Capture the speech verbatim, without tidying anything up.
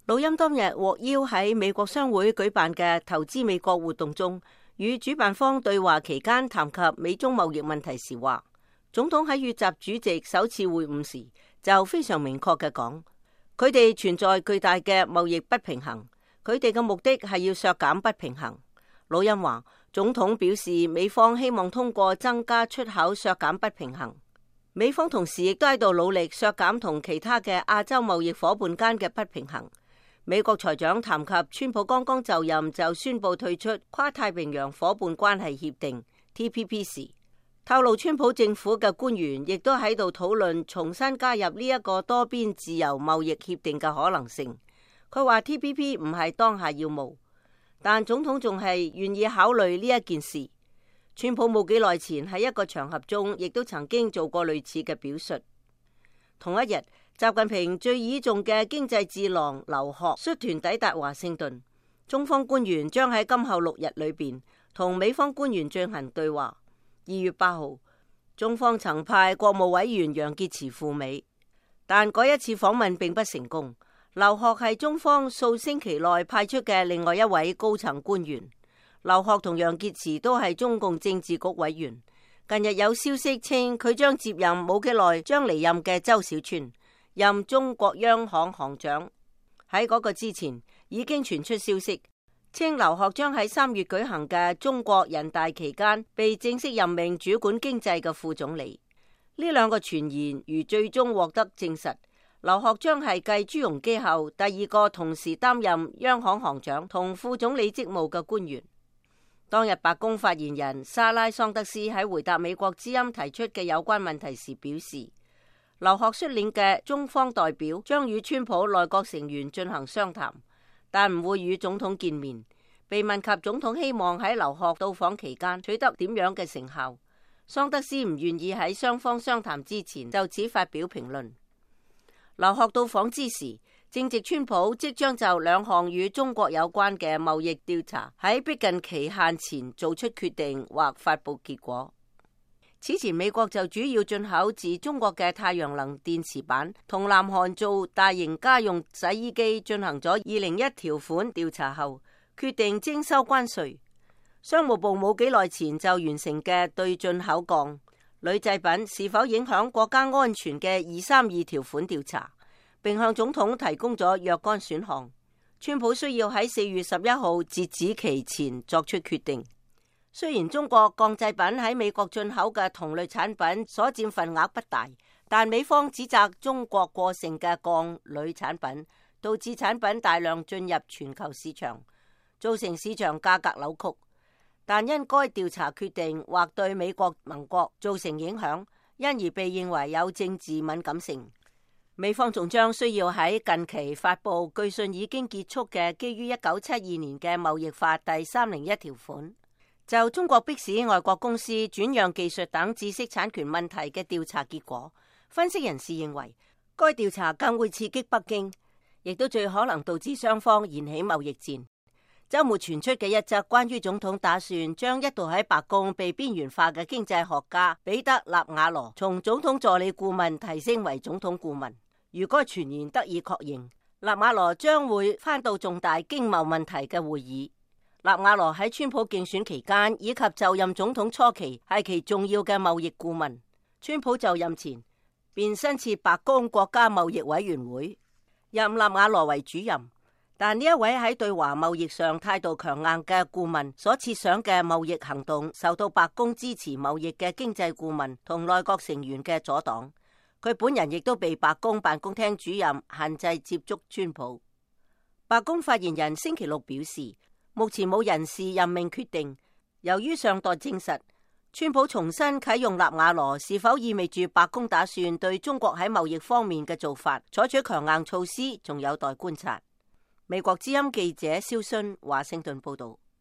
魯欽當日獲邀喺美國商會舉辦嘅投資美國活動中，與主辦方對話期間談及美中貿易問題時話，總統喺與習主席首次會晤時就非常明確嘅講，佢哋存在巨大嘅貿易不平衡，佢哋嘅目的係要削減不平衡。魯欽話，總統表示美方希望通過增加出口削減不平衡，美方同時亦都喺度努力削減同其他嘅亞洲貿易夥伴間嘅不平衡。美國財長談及川普剛剛就任就宣布退出跨太平洋夥伴關係協定 T P P 時，透露川普政府嘅官員亦都喺度討論重新加入呢一個多邊自由貿易協定嘅可能性。佢話 T P P 唔係當下要務，但總統仲係願意考慮呢一件事。川普冇幾耐前喺一個場合中亦都曾經做過類似嘅表述。同一日，習近平最倚重嘅經濟智囊劉鶴率團抵達華盛頓，中方官員將喺今後六日裏邊同美方官員進行對話。二月八號，中方曾派國務委員楊潔篪赴美，但嗰一次訪問並不成功。劉鶴係中方數星期內派出嘅另外一位高層官員。劉鶴同楊潔篪都係中共政治局委員。近日有消息稱佢將接任冇幾耐將離任嘅周小川任中國央行行長。喺嗰個之前已經傳出消息，稱劉鶴將喺三月舉行嘅中國人大期間被正式任命主管經濟嘅副總理。呢兩個傳言如最終獲得證實，劉鶴將係繼朱鎔基後第二個同時擔任央行行長同副總理職務嘅官員。當日白宮發言人莎拉桑德斯喺回答美國之音提出嘅有關問題時表示，劉鶴率領嘅中方代表將與川普內閣成員進行商談，但唔會與總統見面。被問及總統希望喺劉鶴到訪期間取得點樣嘅成效，桑德斯唔願意喺雙方商談之前就此發表評論。劉鶴到訪之時，正值川普即將就兩項與中國有關嘅貿易調查喺逼近期限前做出決定或發佈結果。此前美國就主要進口自中國嘅太陽能電池板同南韓做大型家用洗衣機進行咗二零一條款調查後，決定徵收關稅。商務部冇幾耐前就完成嘅對進口鋼、鋁製品是否影響國家安全嘅二三二條款調查，並向總統提供咗若干選項。川普需要喺四月十一號截止期前作出決定。雖然中國鋼製品喺美國進口嘅同類產品所佔份額不大，但美方指責中國過剩嘅鋼鋁產品導致產品大量進入全球市場，造成市場價格扭曲。但因該調查決定或對美國盟國造成影響，因而被認為有政治敏感性。美方仲將需要喺近期發佈據信已經結束嘅基於一九七二年嘅貿易法第三零一條款，就中國迫使外國公司轉讓技術等知識產權問題嘅調查結果。分析人士認為，該調查更會刺激北京，亦都最可能導致雙方燃起貿易戰。周末傳出嘅一則關於總統打算將一度喺白宮被邊緣化嘅經濟學家彼得納瓦羅從總統助理顧問提升為總統顧問。如果傳言得以確認，納瓦羅將會返到重大經貿問題嘅會議。納瓦羅喺川普競選期間以及就任總統初期係其重要嘅貿易顧問。川普就任前便新設白宮國家貿易委員會，任納瓦羅為主任。但呢一位喺對華貿易上態度強硬嘅顧問所設想嘅貿易行動，受到白宮支持貿易嘅經濟顧問同內閣成員嘅阻擋。佢本人亦都被白宮辦公廳主任限制接觸川普。白宮發言人星期六表示，目前冇人事任命決定。由於尚待證實，川普重新啟用納瓦羅是否意味住白宮打算對中國喺貿易方面嘅做法採取強硬措施，仲有待觀察。美國之音記者蕭순華盛頓報道。